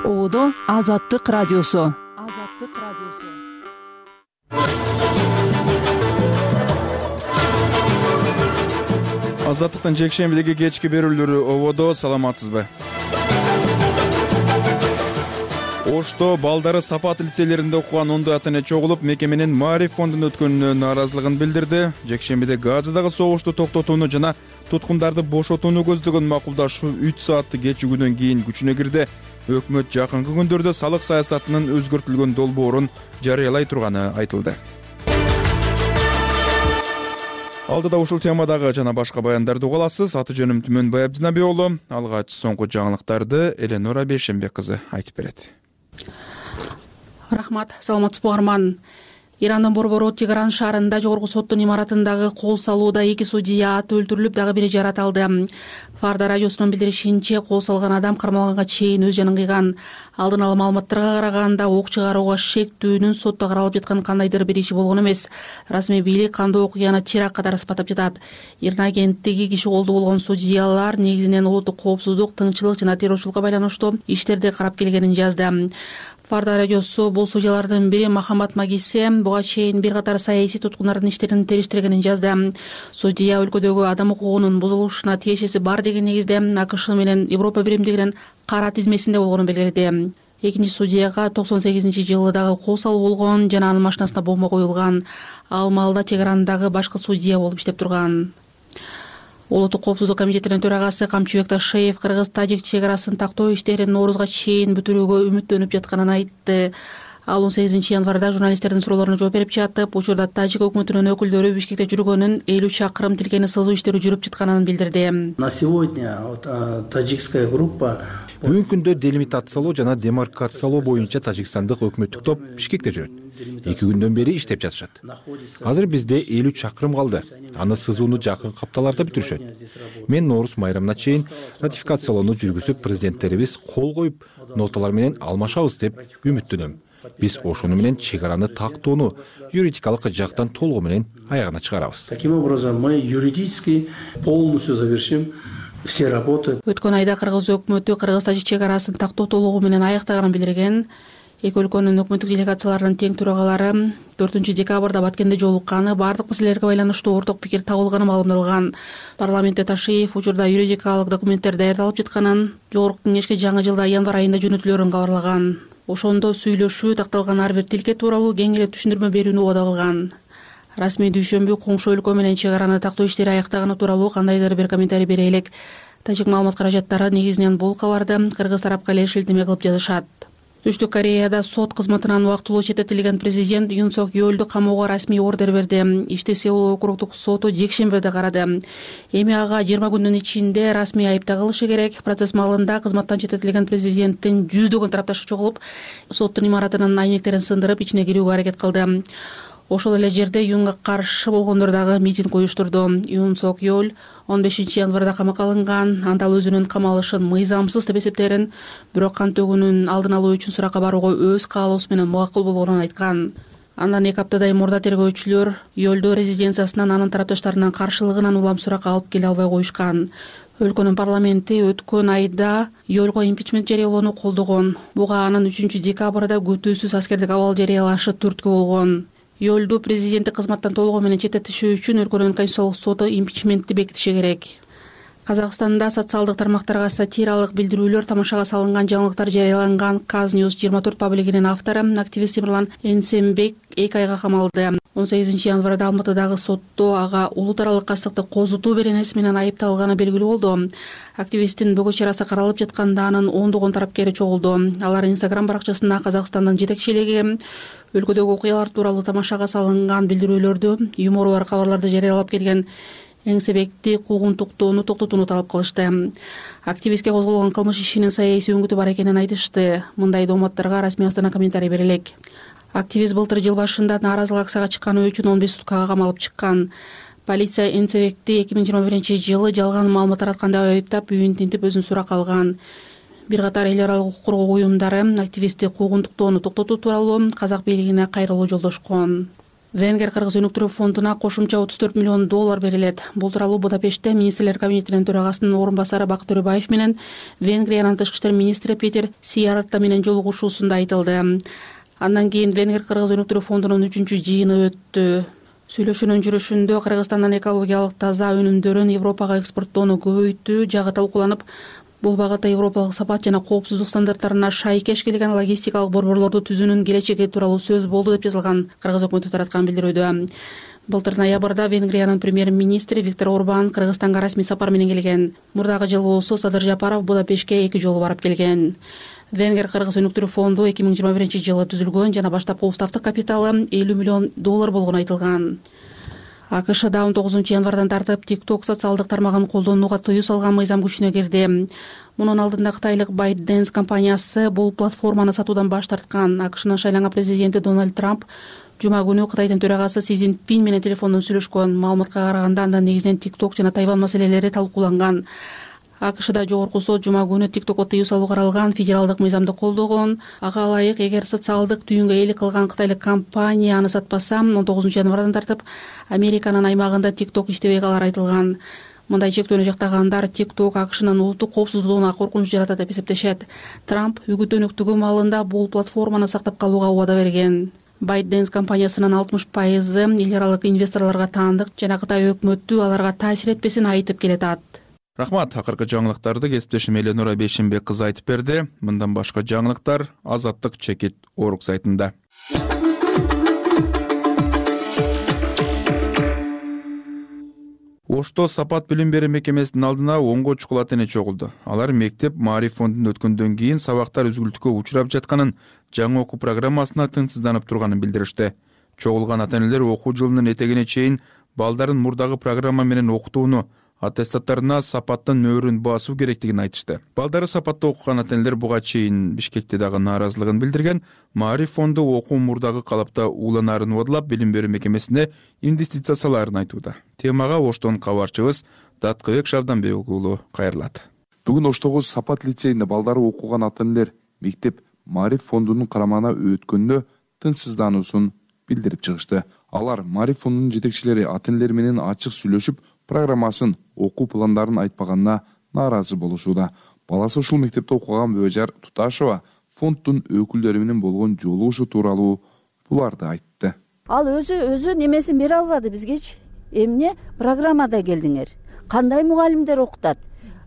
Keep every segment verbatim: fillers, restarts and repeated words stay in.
Оодо Азаттык радиосу. Азаттык радиосу. Азаттыктын жекшембидеги кечки берүүлөрү ободо. Саламатсызбы? Ошто балдары Сапат лицейлеринде окуган ондой ата-эне чогулуп, мекеменин Маариф фондунун өткөнүнө нааразылыгын билдирди. Жекшембиде Газадагы согушту токтотууну жана туткундарды бошотууну көздөгөн макулдашуу үч сааттык кечигүүдөн кийин күчүнө кирди. Өкмөт жакынкы күндөрдө салык саясатынын өзгөртүлгөн долбоорун жарыялай турганы айтылды. Алдыда ушул темадагы жана башка баяндарды уга аласыз. Аты жөнүм Түмөнбай Абдинаби уулу. Алгач соңку жаңылыктарды Эленора Бейшембек кызы айтып берет. Рахмат, саламатсызбы угарман. Ирандын Борборот чек аралык шаарында жогорку соттун имаратындагы кол салууда эки судья аты өлтүрүлүп, дагы бири жаратылды. Фарда радиосунун билдиришинче, кол салган адам кармалганга чейин өз жанын кыйган. Алдын ала маалыматтарга караганда, ок чыгарууга шектүүнүн сотто каралып жаткан кандайдыр бир иши болгон эмес. Расмий бийлик кандуу окуяны теракт катары сыпаттап жатат. Ирна агенттиги киши колдуу болгон судьялар негизинен улуттук коопсуздук, тынччылык жана террорчулукка байланыштуу иштерди карап келгенин жазды. Фарда радиосу бул судьялардын бири Махамбат Магисе буга чейин бир катар саясий туткундардын иштерин териштиргенин жазды. Судья өлкөдөгү адам укугунун бузулушуна тиешеси бар деген негизде АКШ менен Европа биримдигинин кара тизмесинде болгонун белгиледи. Экинчи судьяга токсон сегизинчи жылы дагы кол салуу болгон жана анын машинасына бомба коюлган. Ал маалда чек арандагы башкы судья болуп иштеп турган. Улуттук коопсуздук комитетинин төрагасы Камчыбек Ташеев кыргыз-тажик чек арасын тактоо иштерин Ноорузга чейин бүтүрүүгө үмүттөнүп жатканын айтты. Ал он сегизинчи январда журналисттердин суроолоруна жооп берип жатып, учурда тажик өкмөтүнүн өкүлдөрү Бишкекте жүргөнүн, элүү чакырым тилкени сызуу иштери жүрүп жатканын билдирди. На сегодня таджикская группа Бүгүнкү күндө делимитациялоо жана демаркациялоо боюнча тажикстандык өкмөттүк топ Бишкекте жүрөт. Эки күндөн бери иштеп жатышат. Азыр бизде элүү чакырым калды. Аны сызууну жакын капталарда бүтүрүшөт. Мен Ноорус майрамына чейин ратификациялоону жүргүзүп, президенттерибиз кол коюп, ноталар менен алмашабыз деп үмүттөнөм. Биз ошону менен чек араны тактоону юридикалык жактан толугу менен аягына чыгарабыз. Таким образом мы юридически полностью завершим все работы. Өткөн айда кыргыз өкмөтү кыргыз-тажик чек арасын тактоо толугу менен аяктаганын билдирген. Эки өлкөнүн өкмөттүк делегацияларынын тең төрагалары төртүнчү декабрда Баткенде жолукканы, бардык маселелерге байланыштуу орток пикир табылганы маалымдалган. Парламентте Ташиев учурда юридикалык документтер даярдалып жатканын, жогорку кеңешке жаңы жылда январь айында жөнөтүлөрүн кабарлаган. Ошондо сүйлөшүү, такталган ар бир тилке тууралуу кеңири түшүндүрмө берүүнү убада кылган. Расмий дүйшөмбү коңшу өлкө менен чек араны тактоо иштери аяктаганы тууралуу кандайдыр бир комментарий бере элек. Тажик маалымат каражаттары негизинен бул кабарды кыргыз тарапка эле шилтеме кылып жазышат. Түштүк Кореяда сот кызматынан убактылуу четтетилген президент Юн Сок Йолду камоого расмий ордер берди. Ишти Сеул округдук соту жекшембиде карады. Эми ага жыйырма күндүн ичинде расмий айыпта кылышы керек. Процесс маалында кызматтан четтетилген президенттин жүздөгөн тарапташы чогулуп, соттун имаратынын айнектерин сындырып, ичине кирүүгө аракет кылды. Ошол эле жерде Юнга каршы болгондор дагы митинг уюштурду. Юн Сок Йол он бешинчи январда камакка алынган. Анда ал өзүнүн камалышын мыйзамсыз деп эсептээрин, бирок кан төгүүнүн алдын алуу үчүн суракка барууга өз каалоосу менен мукул болгонун айткан. Андан эки аптадай мурда тергөөчүлөр Йолду резиденциясынан анын тарапташтарынын каршылыгынан улам суракка алып келе албай коюшкан. Өлкөнүн парламенти өткөн айда Йолго импичмент жарыялоону колдогон. Буга анын үчүнчү декабрда көтөөсүз аскердик абал жарыялашы түрткү болгон. Йолду президенттик кызматтан толугу менен четтетишүү үчүн өлкөнүн конституциялык соту импичментти бекитиши керек. Казакстанда социалдык тармактарга сатиралык билдирүүлөр, тамашага салынган жаңылыктар жарыяланган Каз Ньюс жыйырма төрт паблигинин автору, активист Темирлан Энсембек эки айга камалды. он сегизинчи январда Алматыдагы сотто ага улут аралык кастыкты козутуу беренеси менен айыпталганы белгилүү болду. Активисттин бөгөт чарасы каралып жатканда анын ондогон тарапкери чогулду. Алар Инстаграм баракчасында Казакстандын жетекчилиги, өлкөдөгү окуялар тууралуу тамашага салынган билдирүүлөрдү, юмору бар кабарларды жарыялап келген Энсембекти куугунтуктоону токтотууну талап кылышты. Активистке козголгон кылмыш ишинин саясий өңгүтү бар экенин айтышты. Мындай дооматтарга расмий Астана комментарий бере элек. Активист былтыр жыл башында нааразылык акцияга чыкканы үчүн он беш суткага камалып чыккан. Полиция Энсембекти эки миң жыйырма биринчи жылы жалган маалымат таратканда айыптап, үйүн тинтип өзүн суракка алган. Бир катар эл аралык укук коргоо уюмдары активистти куугунтуктоону токтотуу тууралуу казак бийлигине кайрылуу жолдошкон. Венгер Кыргыз өнүктүрүү фондуна кошумча отуз төрт миллион доллар берилет. Бул тууралуу Будапештте министрлер кабинетинин төрагасынын орун басары Бакыт Төрөбаев менен Венгриянын тышкы иштер министри Петер Сиярта менен жолугушуусунда айтылды. Андан кийин Венгер Кыргыз өнүктүрүү фондунун үчүнчү жыйыны өттү. Сүйлөшүүнүн жүрүшүндө Кыргызстандын экологиялык таза өнүмдөрүн Европага экспорттоону көбөйтүү жагы талкууланып, бул багытта европалык сапат жана коопсуздук стандарттарына шайкеш келген логистикалык борборлорду түзүүнүн келечеги тууралуу сөз болду деп жазылган Кыргыз өкмөтү тараткан билдирүүдө. Былтыр ноябрда Венгриянын премьер-министри Виктор Орбан Кыргызстанга расмий сапар менен келген. Мурдагы жылы болсо Садыр Жапаров Будапештке эки жолу барып келген. Венгер Кыргыз өнүктүрүү фонду эки миң жыйырма биринчи жылы түзүлгөн жана баштапкы уставдык капиталы элүү миллион доллар болгону айтылган. АКШда он тогузунчу январдан тартып TikTok социалдык тармагын колдонууга тыюу салган мыйзам күчүнө кирди. Мунун алдында кытайлык ByteDance компаниясы бул платформаны сатуудан баш тарткан. АКШнын шайланган президенти Дональд Трамп жума күнү Кытайдын төрагасы Си Цзиньпин менен телефондон сүйлөшкөн. Маалыматка караганда анда негизинен TikTok жана Тайвань маселелери талкууланган. АКШда жогорку сот жума күнү TikTokко тыюу салуу каралган федералдык мыйзамды колдогон. Ага ылайык, эгер социалдык түйүнгө ээлик кылган кытайлык компания аны сатпаса, он тогузунчу январдан тартып Американын аймагында TikTok иштебей калары айтылган. Мындай чектөөнү жактагандар TikTok АКШнын улуттук коопсуздугуна коркунуч жаратат деп эсептешет. Трамп үгүттөнүктүгү маалында бул платформаны сактап калууга убада берген. ByteDance компаниясынын алтымыш пайызы эл аралык инвесторлорго таандык жана Кытай өкмөтү аларга таасир этпесин айтып келатат. Рахмат. Акыркы жаңылыктарды кесиптешим Эленора Бейшенбек кызы айтып берди. Мындан башка жаңылыктар Азаттык чекит Орг сайтында. Ошто Сапат билим берүү мекемесинин алдына онго чукул ата эне чогулду. Алар мектеп Маариф фондун өткөндөн кийин сабактар үзгүлтүккө учурап жатканын, жаңы окуу программасына тынчсызданып турганын билдиришти. Чогулган ата энелер окуу жылынын этегине чейин балдарын мурдагы программа менен окутууну, аттестаттарына Сапаттын нөөрүн басуу керектигин айтышты. Балдары Сапатта окуган ата энелер буга чейин Бишкекте дагы нааразылыгын билдирген. Маариф фонду окуу мурдагы калапта ууланаарын убадылап, билим берүү мекемесине инвестиция салаарын айтууда. Темага Оштон кабарчыбыз Даткыбек Шабданбек уулу кайрылат. Бүгүн Оштогу Сапат лицейинде балдары окуган ата энелер мектеп Маариф фондунун карамагына өткөндө тынчсыздануусун билдирип чыгышты. Алар Маариф фондунун жетекчилери ата энелер менен ачык сүйлөшүп, программасын, окуу пландарын айтпаганына нааразы болушууда. Баласы ушул мектепте окуган Бөөжар Туташева фонддун өкүлдөрү менен болгон жолугушуу тууралуу буларды айтты. Ал өзү өзү немесин бере албады бизгечи. Эмне программада келдиңер? Кандай мугалимдер окутат?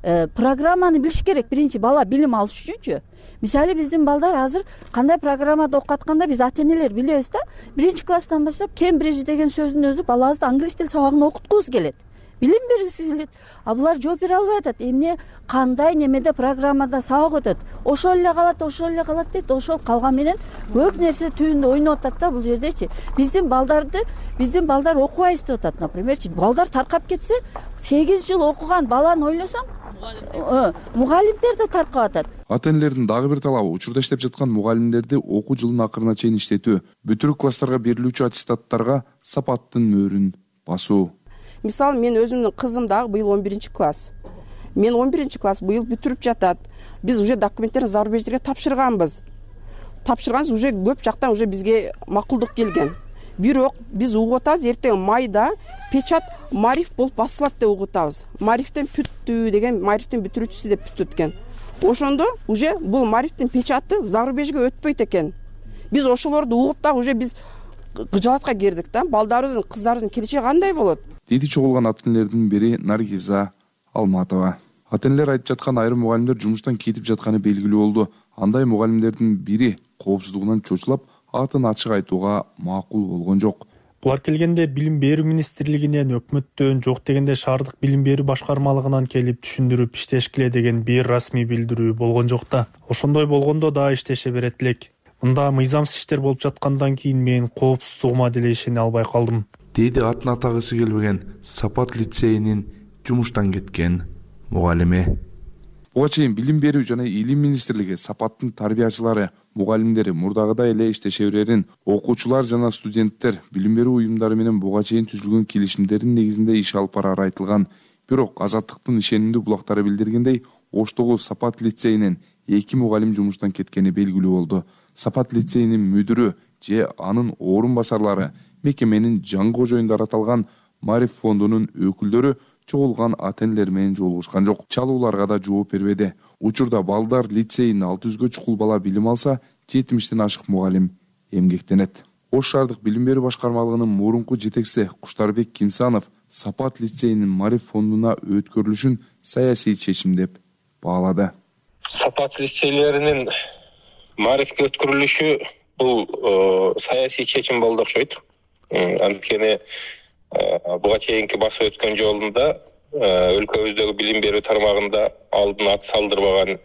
Э, программаны билиш керек. Биринчи бала билим алыш үчүнчү. Мисалы биздин балдар азыр кандай программада окуп атканда биз ата энелер билебиз да. Биринчи класстан баштап Кембридж деген сөздүн өзү балабызды англис тил сабагын окуткубуз келет. Билим бергиси келет. А булар жооп бере албай атат. Эмне кандай немеде программада сабак өтөт. Ошол эле калат, ошол эле калат дейт. Ошол калган менен көп нерсе түйүндө ойноп атат да бул жердечи. Биздин балдарды, биздин балдар окубайбыз деп атат, напримерчи. Балдар таркап кетсе, сегиз жыл окуган баланы ойлосоң, мугалимдер да таркап атат. Ата энелердин дагы бир талабы учурда иштеп жаткан мугалимдерди окуу жылынын акырына чейин иштетүү, бүтүрүк класстарга берилүүчү аттестаттарга Сапаттын мөөрүн басуу. Мисалы, мен өзүмдүн кызым дагы быйыл он биринчи класс. Мен он биринчи класс быйыл бүтүрүп жатат. Биз уже документтерди зарубеждерге тапшырганбыз. Тапшырганбыз, уже көп жактан уже бизге макулдук келген. Бирок биз угуп атабыз, эртең майда печат Маариф болуп басылат деп угуп атабыз. Маарифтен бүттү деген, Маарифтин бүтүрүүчүсү деп бүттү экен. Ошондо уже бул Маарифтин печаты зарубежге өтпөйт экен. Биз ошолорду угуп да уже биз кыжаатка кирдик да. Балдарыбыздын, кыздарыбыздын келечеги кандай болот? Деди чогулган ата энелердин бири Наргиза Алматова. Ата энелер айтып жаткан айрым мугалимдер жумуштан кетип жатканы белгилүү болду. Андай мугалимдердин бири коопсуздугунан чочулап, атын ачык айтууга макул болгон жок. Булар келгенде билим берүү министрлигинен, өкмөттөн, жок дегенде шаардык билим берүү башкармалыгынан келип түшүндүрүп иштешкиле деген бир расмий билдирүү болгон жок да. Ошондой болгондо да иштеше берет элек. Мында мыйзамсыз иштер болуп жаткандан кийин мен коопсуздугума деле ишене албай калдым. Деди атын атагысы келбеген Сапат лицейинин жумуштан кеткен мугалими. Буга чейин билим берүү жана илим министрлиги Сапаттын тарбиячылары, мугалимдери мурдагыдай эле иштеше берерин, окуучулар жана студенттер билим берүү уюмдары менен буга чейин түзүлгөн келишимдердин негизинде иш алып барары айтылган. Бирок Азаттыктын ишенимдүү булактары билдиргендей, Оштогу Сапат лицейинен эки мугалим жумуштан кеткени белгилүү болду. Сапат лицейинин мүдүрү же анын орун басарлары мекеменин жаңы кожоюндар аталган Мариф фондунун өкүлдөрү чогулган ата-энелер менен жолугушкан жок. Чалууларга да жооп бербеди. Учурда балдар лицейинде алты жүзгө чукул бала билим алса, жетимиштен ашык мугалим эмгектенет. Ош шаардык билим берүү башкармалыгынын мурунку жетекчиси Куштарбек Кимсанов Сапат лицейинин Мариф фондуна өткөрүлүшүн саясий чечим деп баалады. Сапат лицейлеринин Марифке өткөрүлүшү бул саясий чечим болду окшойт. Анткени буга чейинки басып өткөн жолунда өлкөбүздөгү билим берүү тармагында алдын ат салдырбаган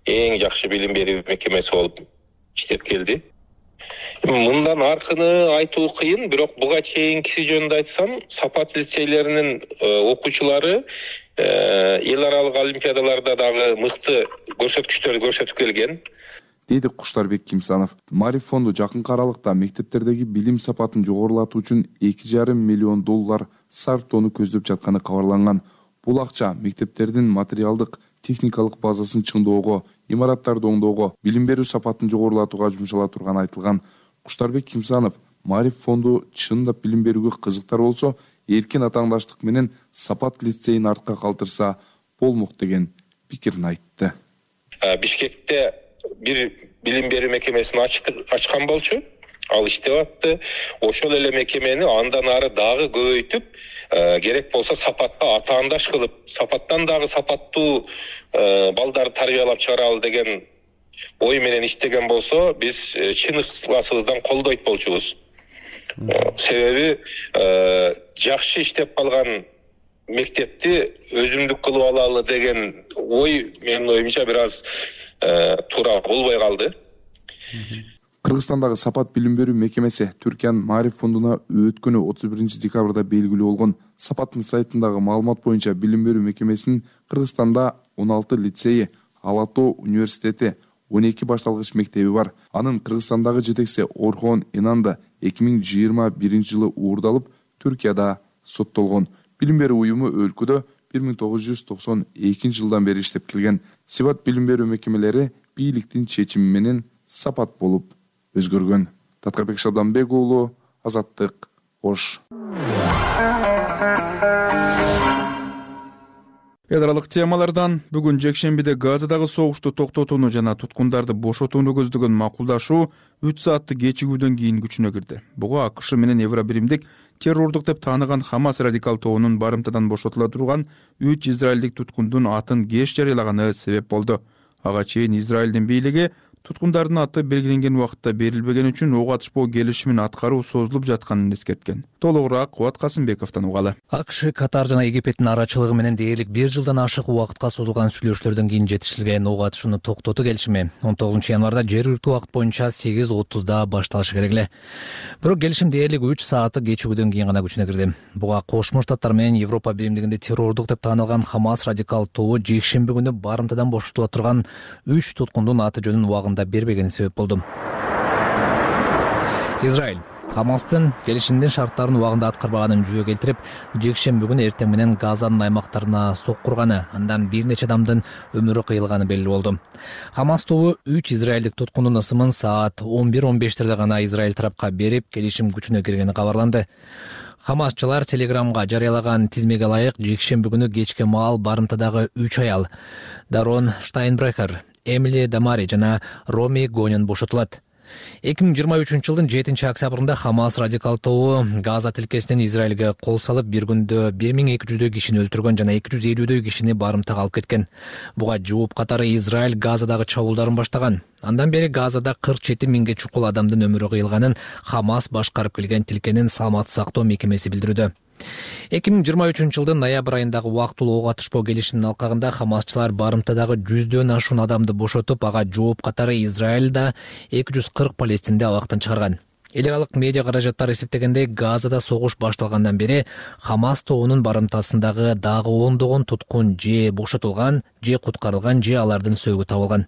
эң жакшы билим берүү мекемеси болуп иштеп келди. Мындан аркыны айтуу кыйын, бирок буга чейинкиси жөнүндө айтсам, Сапат лицейлеринин окуучулары эл аралык олимпиадаларда дагы мыкты көрсөткүчтөрдү көрсөтүп келген, дейди Куштарбек Кимсанов. Мариф фонду жакынкы аралыкта мектептердеги билим сапатын жогорулатуу үчүн эки жарым миллион доллар сарптоону көздөп жатканы кабарланган. Бул акча мектептердин материалдык, техникалык базасын чыңдоого, имараттарды оңдоого, билим берүү сапатын жогорулатууга жумшала турганы айтылган. Куштарбек Кимсанов Мариф фонду чындап билим берүүгө кызыктар болсо, эркин атаандаштык менен Сапат лицейин артка калтырса болмок деген пикирин айтты. Бишкекте бир билим берүү мекемесин ачкан болчу, ал иштеп атты. Ошол эле мекемени андан ары дагы көбөйтүп, керек болсо Сапатка атаандаш кылып, Сапаттан дагы сапаттуу балдарды тарбиялап чыгаралы деген ой менен иштеген болсо, биз чын ыкыласыбыздан колдойт болчубуз. Себеби жакшы иштеп калган мектепти өзүмдүк кылып алалы деген ой менин оюмча бир аз туура болбой калды. Кыргызстандагы Сапат билим берүү мекемеси Түркиянын Мариф фондуна өткөнү отуз биринчи декабрда белгилүү болгон. Сапаттын сайтындагы маалымат боюнча билим берүү мекемесинин Кыргызстанда он алты лицейи, Ала Тоо университети, он эки башталгыч мектеби бар. Анын Кыргызстандагы жетекчиси Орхон Инанда эки миң жыйырма биринчи жылы уурдалып, Түркияда соттолгон. Билим берүү уюму өлкөдө бир миң тогуз жүз токсон экинчи жылдан бери иштеп келген. Сипат билим берүү мекемелери бийликтин чечими менен Сапат болуп өзгөргөн. Таткарбек Шабданбек уулу, Азаттык, Ош. Эл аралык темалардан бүгүн жекшембиде Газадагы согушту токтотууну жана туткундарды бошотууну көздөгөн макулдашуу үч сааттык кечигүүдөн кийин күчүнө кирди. Буга АКШ менен Евробиримдик террордук деп тааныган Хамас радикал тобунун барымтадан бошотула турган үч израилдик туткундун атын кеш жарыялаганы себеп болду. Ага чейин Израилдин бийлиги туткундардын аты белгиленген убакытта берилбеген үчүн ок атышпоо келишимин аткаруу созулуп жатканын эскерткен. Толугураак Кубат Касымбековдон угалы. АКШ, Катар жана Египеттин арачылыгы менен дээрлик бир жылдан ашык убакытка созулган сүйлөшүүлөрдөн кийин жетишилген ок атышууну токтотуу келишими он тогузунчу январда жергиликтүү убакыт боюнча сегиз отузда башталышы керек эле. Бирок келишим дээрлик үч сааттык кечигүүдөн кийин гана күчүнө кирди. Буга Кошмо Штаттар менен Европа биримдигинде террордук деп таанылган Хамас радикал тобу жекшемби күнү барымтадан бошотула турган үч туткундун аты жөнүн убагында бербегени себеп болду. Израиль Хамастын келишимдин шарттарын убагында аткарбаганын жүйө келтирип, жекшемби күнү эртең менен Газанын аймактарына соккурганы, андан бир нече адамдын өмүрү кыйылганы белгилүү болду. Хамас тобу үч израилдик туткундун ысымын саат он бир он бештерде гана Израиль тарапка берип, келишим күчүнө киргени кабарланды. Хамасчылар Телеграмга жарыялаган тизмеге ылайык жекшемби күнү кечке маал барымтадагы үч аял Дарон Штайнбрехер, Эмили Дамари жана Роми Гонен бошотулат. эки миң жыйырма үчүнчү жылдын жетинчи октябрында Хамас радикал тобу Газа тилкесинен Израилге кол салып, бир күндө бир миң эки жүздөй кишини өлтүргөн жана эки жүз элүүдөй кишини барымтага алып кеткен. Буга жооп катары Израиль Газадагы чабуулдарын баштаган. Андан бери Газада кырк жети миңге чукул адамдын өмүрү кыйылганын Хамас башкарып келген тилкенин саламаттык сактоо мекемеси билдирүүдө. эки миң жыйырма үчүнчү жылдын ноябрь айындагы убактылуу ок атышпоо келишиминин алкагында Хамасчылар барымтадагы жүздөн ашуун адамды бошотуп, ага жооп катары Израилда эки жүз кырк палестинди абактан чыгарган. Эл аралык медиа каражаттар эсептегендей, Газада согуш башталгандан бери Хамас тобунун барымтасындагы дагы ондогон туткун же бошотулган, же куткарылган, же алардын сөөгү табылган.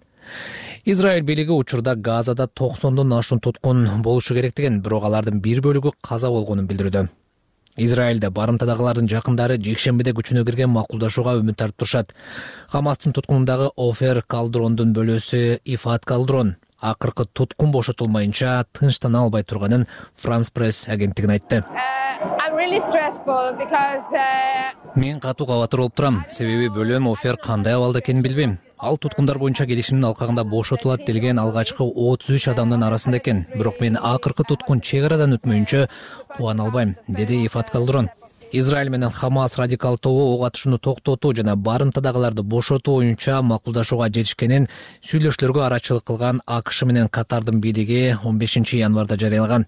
Израиль бийлиги учурда Газада токсондон ашуун туткун болушу керек деген, бирок алардын бир бөлүгү каза болгонун билдирүүдө. Израилде барымтадагылардын жакындары жекшембиде күчүнө кирген макулдашууга үмүт артып турушат. Хамастын туткунундагы Офер Калдрондун бөлөсү Ифат Калдрон акыркы туткун бошотулмайынча тынчтана албай турганын Франс пресс агенттигине айтты. Мен катуу кабатыр болуп турам, себеби бөлөм Офер кандай абалда экенин билбейм. Ал туткундар боюнча келишимдин алкагында бошотулат делген алгачкы отуз үч адамдын арасында экен. Бирок мен акыркы туткун чек арадан өтмөйүнчө кубана албайм, деди Ифат Калдрон. Израиль менен Хамас радикал тобу ок атышууну токтотуу жана барымтадагыларды бошотуу боюнча макулдашууга жетишкенин сүйлөшүүлөргө арачылык кылган АКШ менен Катардын бийлиги он бешинчи январда жарыялаган.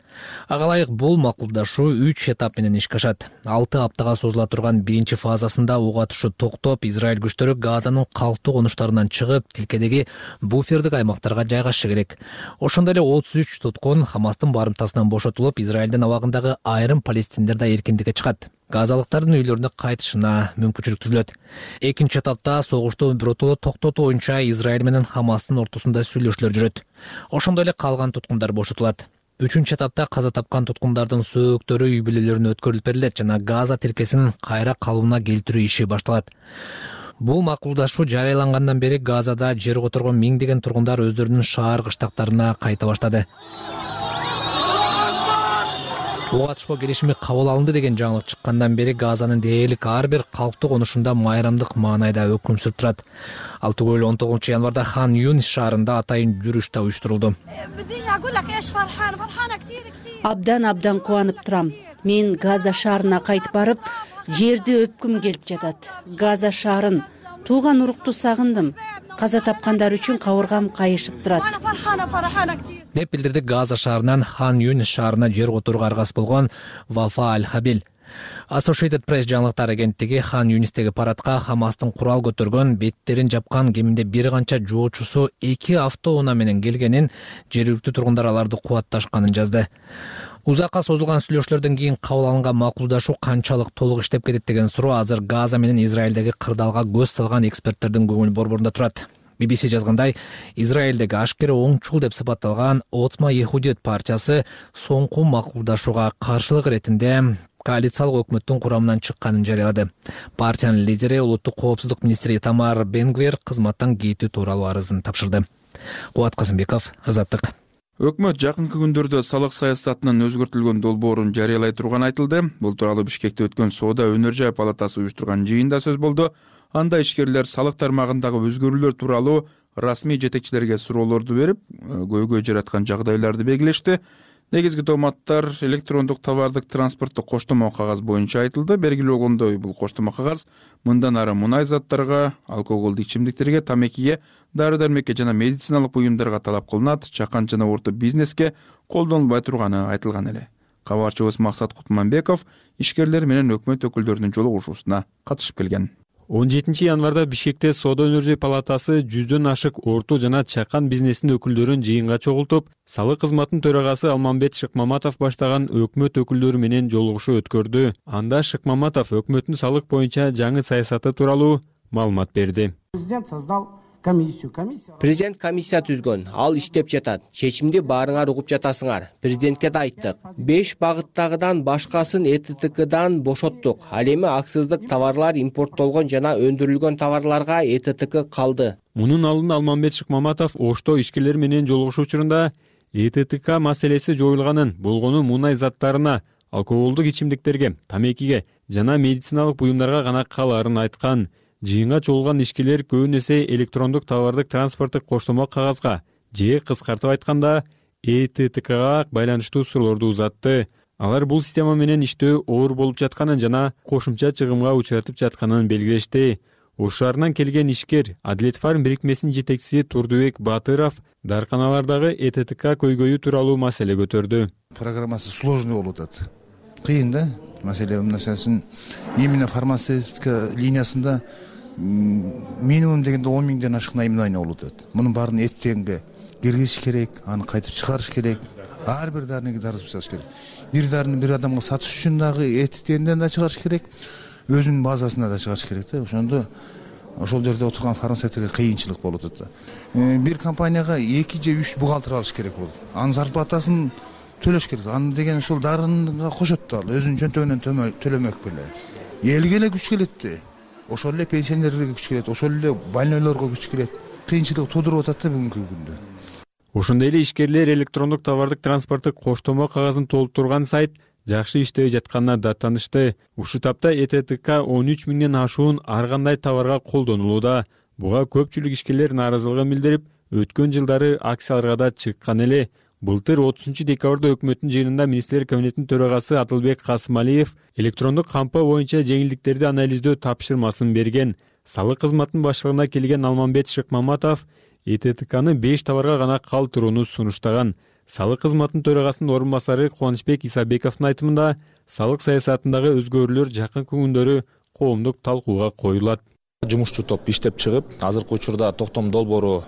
Ага ылайык бул макулдашуу үч этап менен ишке ашат. алты аптага созула турган биринчи фазасында ок атышуу токтоп, Израиль күчтөрү Газанын калктуу конуштарынан чыгып, тилкедеги буфердик аймактарга жайгашышы керек. Ошондой эле отуз үч туткун Хамастын барымтасынан бошотулуп, Израилдин абагындагы айрым палестиндерде эркиндикке чыгат. Газалыктардын үйлөрүнө кайтышына мүмкүнчүлүк түзүлөт. Экинчи этапта согушту биротоло токтотуу боюнча Израиль менен Хамастын ортосунда сүйлөшүүлөр жүрөт. Ошондой эле калган туткундар бошотулат. Үчүнчү этапта каза тапкан туткундардын сөөктөрү үй бүлөлөрүнө өткөрүлүп берилет жана Газа тилкесин кайра калыбына келтирүү иши башталат. Бул макулдашуу жарыялангандан бери Газада жер которгон миңдеген тургундар өздөрүнүн шаар кыштактарына кайта баштады. Ок атышуу келишими кабыл алынды деген жаңылык чыккандан бери Газанын дээрлик ар бир калктуу конушунда майрамдык маанайда өкүм сүрүп турат. Ал түгөл он тогузунчу январда Хан Юнис шаарында атайын жүрүш да уюштурулду. Абдан абдан кубанып турам. Мен Газа шаарына кайтып барып, жерди өпкүм келип жатат. Газа шаарын, тууган урукту сагындым. Каза тапкандар үчүн кабыргам кайышып турат, деп билдирди Газа шаарынан Хан Юнис шаарына жер которууга аргасы болгон Вафа Аль-Хабил. Associated Press жаңылыктар агенттиги Хан Юнистеги парадка Хамастын курал көтөргөн, беттерин жапкан кеминде бир канча жоочусу эки автоунаа менен келгенин, жергиликтүү тургундар аларды кубатташканын жазды. Узакка созулган сүйлөшүүлөрдөн кийин кабыл алынган макулдашуу канчалык толук иштеп кетет деген суроо азыр Газа менен Израилдеги кырдаалга көз салган эксперттердин көңүл борборунда турат. би би си жазгандай, Израилдеги ашкере оңчул деп сыпатталган Отма Ехудиет партиясы соңку макулдашууга каршылык иретинде коалициялык өкмөттүн курамынан чыкканын жарыялады. Партиянын лидери улуттук коопсуздук министри Тамар Бенгвер кызматтан кетүү тууралуу арызын тапшырды. Кубат Казымбеков, Азаттык. Өкмөт жакынкы күндөрдө салык саясатынын өзгөртүлгөн долбоорун жарыялай турганы айтылды. Бул тууралуу Бишкекте өткөн Соода өнөр жай палатасы уюштурган жыйында сөз болду. Анда ишкерлер салык тармагындагы өзгөрүүлөр тууралуу расмий жетекчилерге суроолорду берип, көйгөй жараткан жагдайларды белгилешти. Негизги тооматтар электрондук товардык транспорттук коштомо кагаз боюнча айтылды. Белгилүү болгондой, бул коштомо кагаз мындан ары мунай заттарга, алкоголдук ичимдиктерге, тамекиге, дары-дармекке жана медициналык буюмдарга талап кылынат, чакан жана орто бизнеске колдонулбай турганы айтылган эле. Кабарчыбыз Максат Кутманбеков ишкерлер менен өкмөт өкүлдөрүнүн жолугушуусуна катышып келген. он жетинчи январда Бишкекте Соода өнөр жай палатасы жүздөн ашык орто жана чакан бизнесинин өкүлдөрүн жыйынга чогултуп, салык кызматынын төрагасы Алмамбет Шыкмаматов баштаган өкмөт өкүлдөрү менен жолугушуу өткөрдү. Анда Шыкмаматов өкмөттүн салык боюнча жаңы саясаты тууралуу маалымат берди. Президент создал комиссию. Президент комиссия түзгөн. Ал иштеп жатат. Чечимди баарыңар угуп жатасыңар. Президентке да айттык. беш багыттагыдан башкасын Э Т Т Кдан бошоттук. Ал эми аксыздык товарлар импорттолгон жана өндүрүлгөн товарларга Э Т Т К калды. Мунун алдын Алмамбет Шыкмаматов Ошто ишкерлер менен жолугушуу учурунда Э Т Т К маселеси жоюлганын, болгону мунай заттарына, алкоголдук ичимдиктерге, тамекиге жана медициналык буюмдарга гана калаарын айткан. Жыйынга чогулган ишкерлер көбүн эсе электрондук товардык транспорттук коштомо кагазга же кыскартып айтканда Э Т Т Кга байланыштуу суроолорду узатты. Алар бул система менен иштөө оор болуп жатканын жана кошумча чыгымга учуртуп жатканын белгилешти. Ош шаарынан келген ишкер Адилет фарм бирикмесинин жетекчиси Турдубек Батыров дарканалардагы Э Т Т К көйгөйү тууралуу маселе көтөрдү. Программасы сложный болуп атат. Кыйын да. Маселе мынасысын именно фармацевтика линиясында минимум дегенде он миңден ашык наимдайна болуп атат. Мунун баарын эттенге киргизиш керек, аны кайтып чыгарыш керек. Ар бир дарыны дарыз жасаш керек. Бир дарыны бир адамга сатыш үчүн дагы эттенден да чыгарыш керек, өзүнүн базасына да чыгарыш керек да. Ошондо ошол жерде отурган фармацевттерге кыйынчылык болуп атат. Бир компанияга эки же үч бухгалтер алыш керек болот. Анын зарплатасын төлөш керек. Аны деген ошол дарынга кошот да, өзүнүн чөнтөгүнөн төлөмөк беле. Элге эле күч келет да. Ошол эле пенсионерлерге күч келет, ошол эле больнойлорго күч келет. Кыйынчылык туудуруп атат да бүгүнкү күндө. Ошондой эле ишкерлер электрондук товардык транспорттук коштомо кагазын толтурган сайт жакшы иштебей жатканына даттанышты. Ушул тапта Э Т Т К он үч миңден ашуун ар кандай товарга колдонулууда. Буга көпчүлүк ишкерлер нааразылыгын билдирип, өткөн жылдары акцияларга да чыккан эле. Былтыр отузунчу декабрда өкмөттүн жыйынында министрлер кабинетинин төрагасы Атылбек Касымалиев электрондук кампа боюнча жеңилдиктерди анализдөө тапшырмасын берген. Салык кызматынын баштыгына келген Алмамбет Шыкмаматов Э Т Т Кны беш товарга гана калтырууну сунуштаган. Салык кызматынын төрагасынын орун басары Кубанычбек Исабековдун айтымында салык саясатындагы өзгөрүүлөр жакынкы күндөрү коомдук талкууга коюлат. Жумушчу топ иштеп чыгып, азыркы учурда токтом долбоору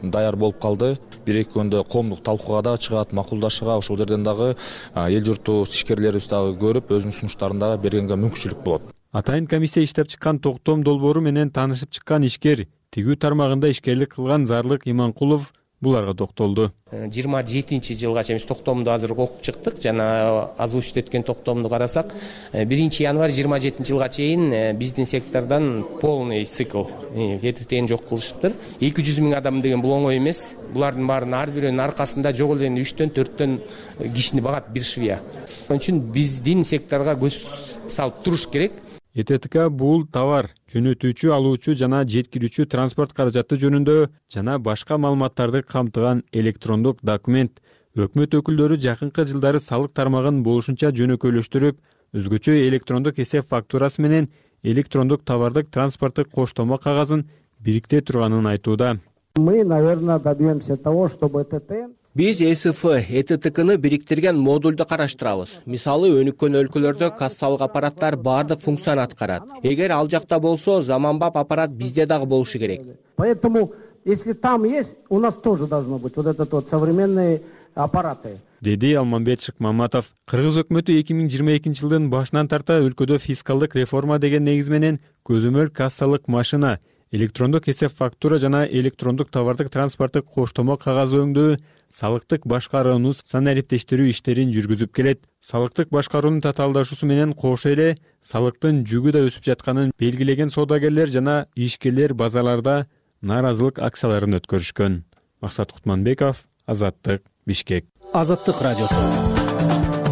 даяр болуп калды. Бир эки күндө коомдук талкууга да чыгат, макулдашууга, ошол жерден дагы эл журтубуз ишкерлерибиз дагы көрүп, өзүнүн сунуштарын дагы бергенге мүмкүнчүлүк болот. Атайын комиссия иштеп чыккан токтом долбоору менен таанышып чыккан ишкер тигүү тармагында ишкерлик кылган Зарлык Иманкулов буларга токтолду. жыйырма жетинчи жылга чейин биз токтомду азыр окуп чыктык. Жана озвучить эткен токтомду карасак, биринчи январь жыйырма жетинчи жылга чейин биздин сектордон полный цикл Э Т Т'ни жок кылышыптыр. эки жүз миң адам деген бул оңой эмес. Булардын баарынын ар бирөөнүн аркасында жок эле үчтөн төрттөн кишини багат бир швея. Ошон үчүн биздин секторго көз салып туруш керек. Э Т Т К бул товар, жөнөтүүчү, алуучу жана жеткирүүчү транспорт каражаты жөнүндө жана башка маалыматтарды камтыган электрондук документ. Өкмөт өкүлдөрү жакынкы жылдары салык тармагын болушунча жөнөкөйлөштүрүп, өзгөчө электрондук эсеп фактурасы менен электрондук товардык транспорттук коштомо кагазын бирикте турганын айтууда. Мы, наверное, добьемся того, чтобы Э Т Т Биз Э С Ф Э Т Т Кны бириктирген модулду караштырабыз. Мисалы, өнүккөн өлкөлөрдө кассалык аппараттар баардык функцияны аткарат. Эгер ал жакта болсо, заманбап аппарат бизде дагы болушу керек. Поэтому, если там есть, у нас тоже должно быть вот этот вот современные аппараты. Деди Алмамбет Шыкмаматов. Кыргыз өкмөтү эки миң жыйырма экинчи жылдын башынан тарта өлкөдө фискалдык реформа деген негиз менен көзөмөл кассалык машина, электрондук эсеп фактура жана электрондук товардык транспорттук коштомо кагаз өңдөө, салыктык башкарууну санариптештирүү иштерин жүргүзүп келет. Салыктык башкаруунун татаалдашуусу менен кошо эле салыктын жүгү да өсүп жатканын белгилеген содагерлер жана ишкерлер базарларда нааразылык акцияларын өткөрүшкөн. Максат Кутманбеков, Азаттык, Бишкек. Азаттык радиосу.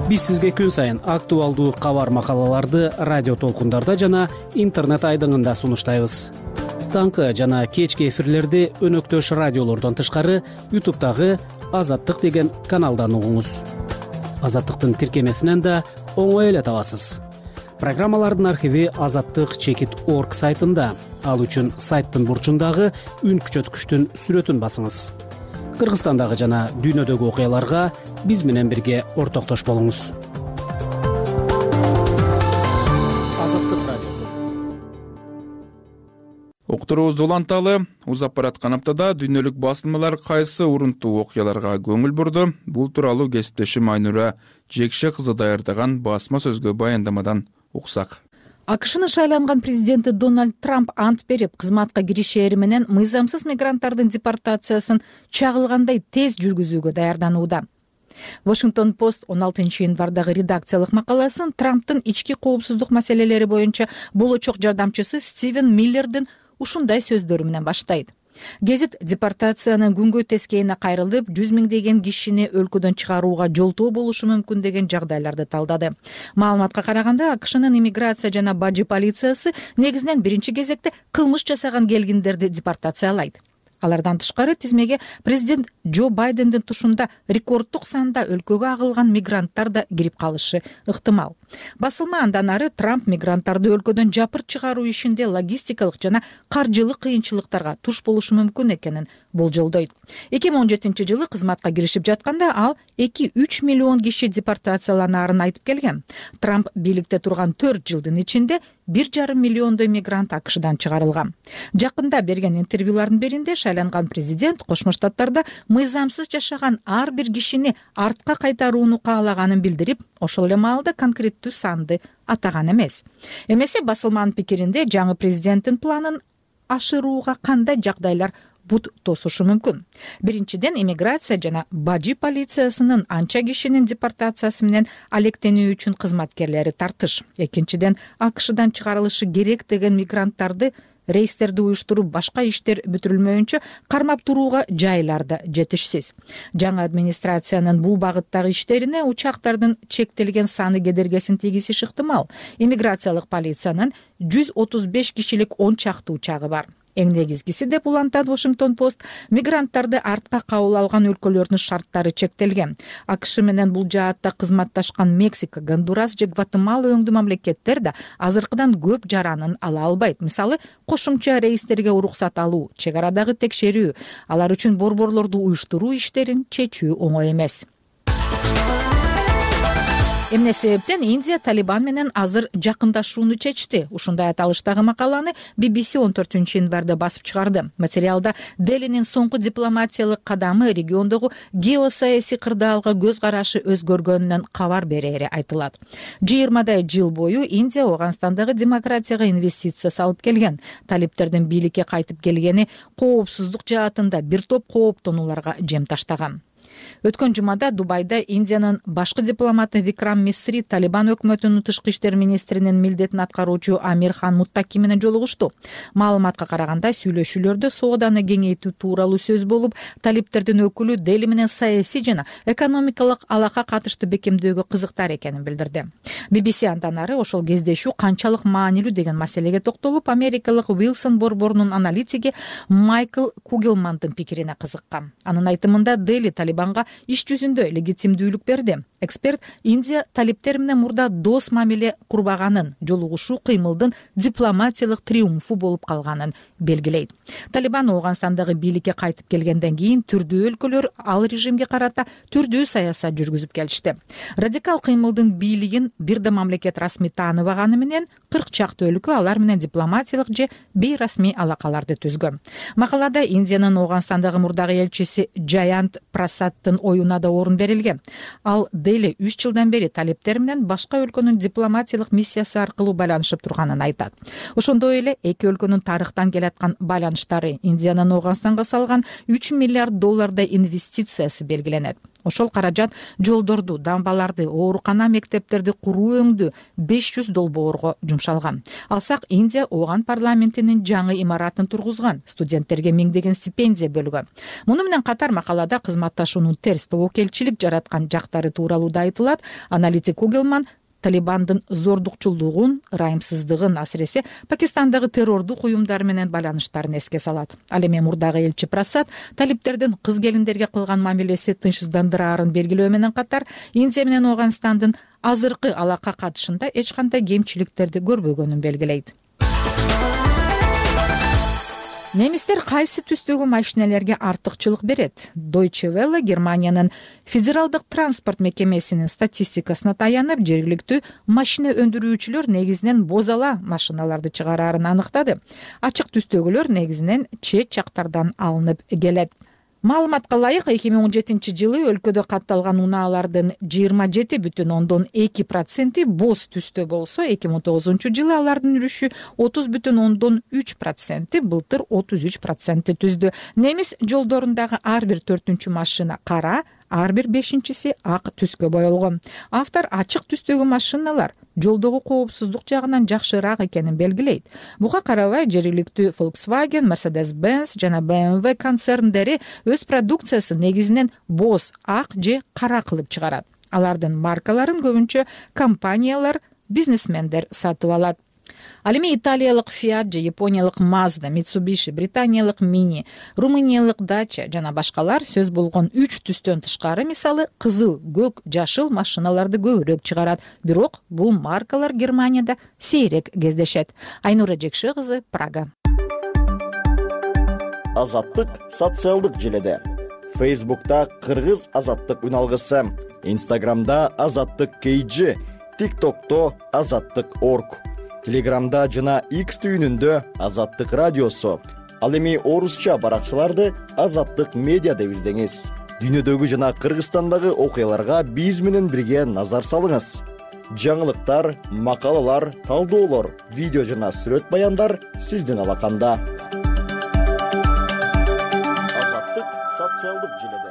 Биз сизге күн сайын актуалдуу кабар макалаларды радио толкундарда жана интернет айдыңында сунуштайбыз. Таңкы жана кечки эфирлерди өнөктөш радиолордон тышкары ютубтагы Азаттык деген каналдан угуңуз. Азаттыктын тиркемесинен да оңой эле табасыз. Программалардын архиви азаттык чекит орг сайтында. Ал үчүн сайттын бурчундагы үн күчөткүчтүн сүрөтүн басыңыз. Кыргызстандагы жана дүйнөдөгү окуяларга биз менен бирге ортоктош болуңуз. Азаттык радиосу. Уктуруубузду уланталы. Узап бараткан аптада дүйнөлүк басылмалар кайсы урунтуу окуяларга көңүл бурду? Бул тууралуу кесиптешим Айнура Жекше кызы даярдаган басма сөзгө баяндамадан уксак. АКШнын шайланган президенти Дональд Трамп ант берип, кызматка киришери менен мыйзамсыз мигранттардын депортациясын чагылгандай тез жүргүзүүгө даярданууда. Washington Post он алтынчы январдагы редакциялык макаласын Трамптын ички коопсуздук маселелери боюнча болочок жардамчысы Стивен Миллердин ушундай сөздөрү менен баштайт. Гезит депортациянын күнгөй тескейине кайрылып, жүз миңдеген кишини өлкөдөн чыгарууга жолтоо болушу мүмкүн деген жагдайларды талдады. Маалыматка караганда, АКШнын иммиграция жана бажы полициясы негизинен биринчи кезекте кылмыш жасаган келгиндерди депортациялайт. Алардан тышкары тизмеге президент Джо Байдендин тушунда рекорддук санда өлкөгө агылган мигранттар да кирип калышы ыктымал. Басылма андан ары Трамп мигранттарды өлкөдөн жапырт чыгаруу ишинде логистикалык жана каржылык кыйынчылыктарга туш болушу мүмкүн экенин болжолдойт. эки миң он жетинчи жылы кызматка киришип жатканда ал эки үч миллион киши депортацияланаарын айтып келген. Трамп бийликте турган төрт жылдын ичинде бир жарым миллиондой мигрант АКШдан чыгарылган. Жакында берген интервьюлардын биринде шайланган президент Кошмо Штаттарда мыйзамсыз жашаган ар бир кишини артка кайтарууну каалаганын билдирип, ошол эле маалда конкреттүү санды атаган эмес. Эмесе басылманын пикиринде жаңы президенттин планын ашырууга кандай жагдайлар бут тосушу мүмкүн. Биринчиден, иммиграция жана бажы полициясынын анча кишинин депортациясы менен алектенүү үчүн кызматкерлери тартыш. Экинчиден, АКШдан чыгарылышы керек деген мигранттарды рейстерди уюштуруп башка иштер бүтүрүлмөйүнчө кармап турууга жайлар да жетишсиз. Жаңы администрациянын бул багыттагы иштерине учактардын чектелген саны кедергесин тийгизиши ыктымал. Иммиграциялык полициянын жүз отуз беш кишилик он чакты учагы бар. Эң негизгиси деп улантат Washington Post, мигранттарды артка кабыл алган өлкөлөрдүн шарттары чектелген. АКШ менен бул жаатта кызматташкан Мексика, Гондурас же Гватемала өңдүү мамлекеттер да азыркыдан көп жаранын ала албайт. Мисалы, кошумча рейстерге уруксат алуу, чек арадагы текшерүү, алар үчүн борборлорду уюштуруу иштерин чечүү оңой эмес. Эмне себептен Индия Талибан менен азыр жакындашууну чечти? Ушундай аталыштагы макаланы би би си он төртүнчү январда басып чыгарды. Материалда Делинин соңку дипломатиялык кадамы региондогу геосаясий кырдаалга көз карашы өзгөргөнүнөн кабар берери айтылат. жыйырмадай жыл бою Индия Афганистандагы демократияга инвестиция салып келген. Талиптердин бийликке кайтып келгени коопсуздук жаатында бир топ кооптонууларга жем таштаган. Өткөн жумада Дубайда Индиянын башкы дипломаты Викрам Мисри Талибан өкмөтүнүн тышкы иштер министринин милдетин аткаруучу Амир Хан Муттаки менен жолугушту. Маалыматка караганда, сүйлөшүүлөрдө сооданы кеңейтүү тууралуу сөз болуп, талиптердин өкүлү Дели менен саясий жана экономикалык алака катышты бекемдөөгө кызыктар экенин билдирди. би би си андан ары ошол кездешүү канчалык маанилүү деген маселеге токтолуп, америкалык Уилсон борборунун аналитиги Майкл Кугелмандын пикирине кызыккан. Анын айтымында Дели Талибанга иш жүзүндө легитимдүүлүк берди. Эксперт Индия талиптер менен мурда дос мамиле курбаганын, жолугушуу кыймылдын дипломатиялык триумфу болуп калганын белгилейт. Талибан Афганистандагы бийликке кайтып келгенден кийин түрдүү өлкөлөр ал режимге карата түрдүү саясат жүргүзүп келишти. Радикал кыймылдын бийлигин бир да мамлекет расмий тааныбаганы менен кырк чакты өлкө алар менен дипломатиялык же бейрасмий алакаларды түзгөн. Макалада Индиянын Афганистандагы мурдагы элчиси Джаянт Прасадтын оюна да орун берилген. Ал Дели үч жылдан бери талиптер менен башка өлкөнүн дипломатиялык миссиясы аркылуу байланышып турганын айтат. Ошондой эле эки өлкөнүн тарыхтан келаткан байланыштары, Индиянын Афганистанга салган үч миллиард доллардай инвестициясы белгиленет. Ошол каражат жолдорду, дамбаларды, оорукана, мектептерди куруу өңдүү беш жүз долбоорго жумшалган. Алсак, Индия Афган парламентинин жаңы имаратын тургузган, студенттерге миңдеген стипендия бөлгөн. Муну менен катар макалада кызматташуунун терс тобокелчилик жараткан жактары тууралуу да айтылат. Аналитик Кугелман Талибандын зордукчулдугун, ырайымсыздыгын, асыресе Пакистандагы террордук уюмдар менен байланыштарын эске салат. Ал эми мурдагы элчи Прасад талиптердин кыз келиндерге кылган мамилеси тынчсыздандыраарын белгилөө менен катар, Индия менен Афганистандын азыркы алака катышында эч кандай кемчиликтерди көрбөгөнүн белгилейт. Немистер кайсы түстөгү машинелерге артыкчылык берет? Deutsche Welle Германиянын федералдык транспорт мекемесинин статистикасына таянып, жергиликтүү машина өндүрүүчүлөр негизинен бозала машиналарды чыгараарын аныктады. Ачык түстөгүлөр негизинен чет жактардан алынып келет. Маалыматка ылайык, эки миң он жетинчи жылы өлкөдө катталган унаалардын жыйырма жети бүтүн ондон эки проценти боз түстө болсо, эки миң он тогузунчу жылы алардын үлүшү отуз бүтүн ондон үч проценти, былтыр отуз үч проценти түздү. Немис жолдорундагы ар бир төртүнчү машина кара, ар бир бешинчиси ак түскө боелгон. Автор ачык түстөгү машиналар жолдогу коопсуздук жагынан жакшыраак экенин белгилейт. Буга карабай, жергиликтүү Volkswagen, Mercedes-Benz жана бэ эм вэ концерндери өз продукциясын негизинен боз, ак же кара кылып чыгарат. Алардын маркаларын көбүнчө компаниялар, бизнесмендер сатып алат. Ал эми италиялык Fiat же япониялык Mazda, Mitsubishi, британиялык Mini, румыниялык Dacia жана башкалар сөз болгон үч түстөн тышкары, мисалы кызыл, көк, жашыл машиналарды көбүрөөк чыгарат. Бирок бул маркалар Германияда сейрек кездешет. Айнура Жекши кызы, Прага. Азаттык социалдык желеде. Facebook'ta Кыргыз азаттык үналгысы, Instagram'da азаттык кей джи, TikTok'то азаттык точка орг. Телеграмда жана X түйүнүндө Азаттык радиосу. Ал эми орусча баракчаларды Азаттык медиа деп издеңиз. Дүйнөдөгү жана Кыргызстандагы окуяларга биз менен бирге назар салыңыз. Жаңылыктар, макалалар, талдоолор, видео жана сүрөт баяндар сиздин алаканда. Азаттык социалдык желеде.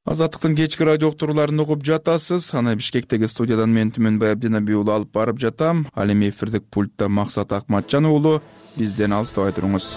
Азаттыктын кечки радио уктурууларын угуп жатасыз. Аны Бишкектеги студиядан мен Түмөнбай Абдинаби уулу алып барып жатам. Ал эми эфирдик пультта Максат Акматжан уулу. Бизден алыстабай туруңуз.